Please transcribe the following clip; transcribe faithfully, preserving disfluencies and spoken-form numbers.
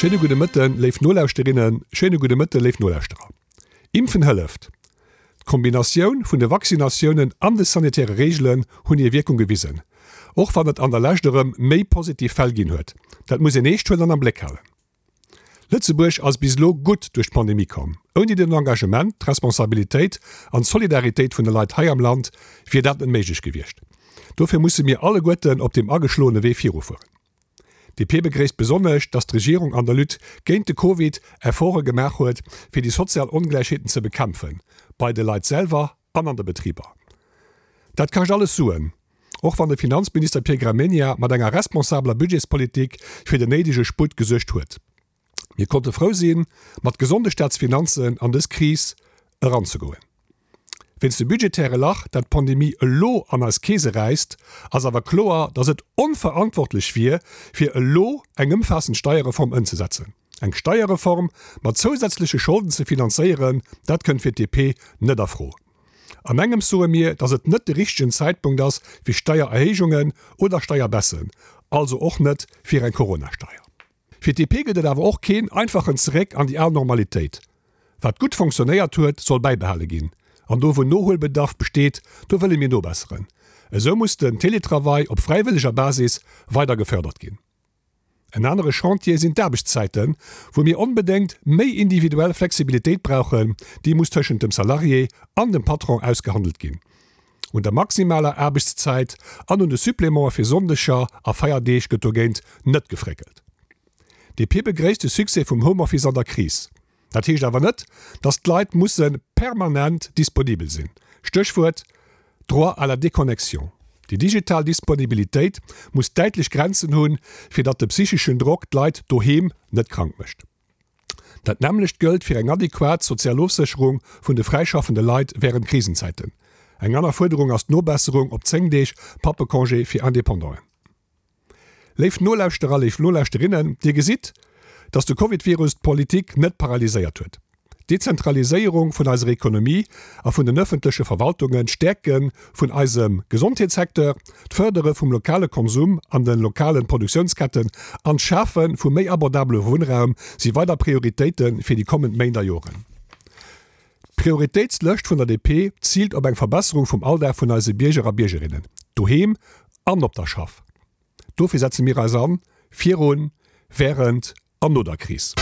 Schéine gudde Mëtten, léif Nolauschterinnen, schéine gudde Mëtten, léif Nolauschterer. Impfen hëlleft. D'Kombinatioun vun de Vaccinatiounen an de sanitäre Reegelen hunn hir Wierkung gewisen, och wann et an der Lescht erëm méi positiv Fäll ginn huet. Dat muss een eescht huelen an am Bléck halen. Lëtzebuerg ass bis elo gutt duerch d'Pandemie komm. Ouni den Engagement, d'Responsabilitéit an d'Solidaritéit vun de Leit hei am Land wier dat net méiglech gewiescht. Dofir musse mir alleguerten op deem ageschloene Wee virufueren. D P begréisst besonnesch, datt d'Regierung an der Lutte géint de Covid Efforte gemaach huet, fir déi sozial Ongläichheeten ze bekämpfen, bei de Leit selwer an an de Betriber. Dat kascht alles Suen, och wann de Finanzminister Pierre Gramegna mat enger responsabeler Budgetspolitik fir den néidege Sputt gesuergt huet. Mir konnte frou sinn, mat gesonde Staatsfinanzen an dës Kris eranzegoen. Wéinst dem budgetäre Lach, dat d'Pandemie elo an eis Keese räisst, ass awer kloer, datt et onverantwortlech wier, fir elo eng ëmfaassend Steierreform ëmzesetzen. Eng Steierreform mat zousätzleche Scholden ze finanzéieren, dat kënnt fir d'D P net a Fro. An engems soe mir, datt et net de richtegen Zäitpunkt ass fir Steiererhéijungen oder Steierbaissen, also och net fir eng Coronasteier. Fir d'D P gëtt et awer och keen einfachen Zeréck an déi al Normalitéit. Wat gutt fonctionnéiert huet, soll bäibehale ginn. An do wou Nohuelbedarf besteet, do wëlle mir nobesseren. Esou muss den Teletravail op fräiwëlleger Basis weider gefërdert ginn. En anere Chantier sinn d'Aarbechtszäiten, wou mir onbedéngt méi individuell Flexibilitéit brauchen, déi muss tëschent dem Salarié an dem Patron ausgehandelt ginn. Un der maximaler Aarbechtszäit an un de Supplémente fir Sonndeger a Feierdeeg gëtt dogéint net gefréckelt. D P begréisst de Succès vum Homeoffice an der Kris. Dat heescht awer net, datt d'Leit musse permanent disponibel sinn. Stéchwuert, Droit à la déconnexion. Déi digital Disponibilitéit muss däitlech Grenzen hunn, fir datt de psycheschen Drock d'Leit doheem net krank mécht. Dat nämmlecht gëllt fir eng adequat sozial Ofsécherung vun de fräischaffende Leit wärend Krisenzäiten. Eng aner Fuerderung ass d'Nobesserung op zéng Deeg Pappecongé fir Independanten. Léif Nolauschterer, léif Nolauschterinnen, Dir gesitt, datt de Covid-Virus d'Politik net paralyséiert huet. D'Dezentraliséierung vun eiser Ekonomie a vun den ëffentleche Verwaltungen, d'Stäerke vun eisem Gesondheetssecteur, d'Fërdere vum lokale Konsum an de lokale Produktiounsketten an d'Schafe vu méi abordabele Wunnraum si weider Prioritéite fir déi kommend Méint a Joren. D'Prioritéitslëscht vun der D P ziilt op eng Verbesserung vum Alldag vun eise Bierger a Biergerinnen, doheem an op der Schaff. Dofir setze mir eis an, virun, wärend an no der Kris.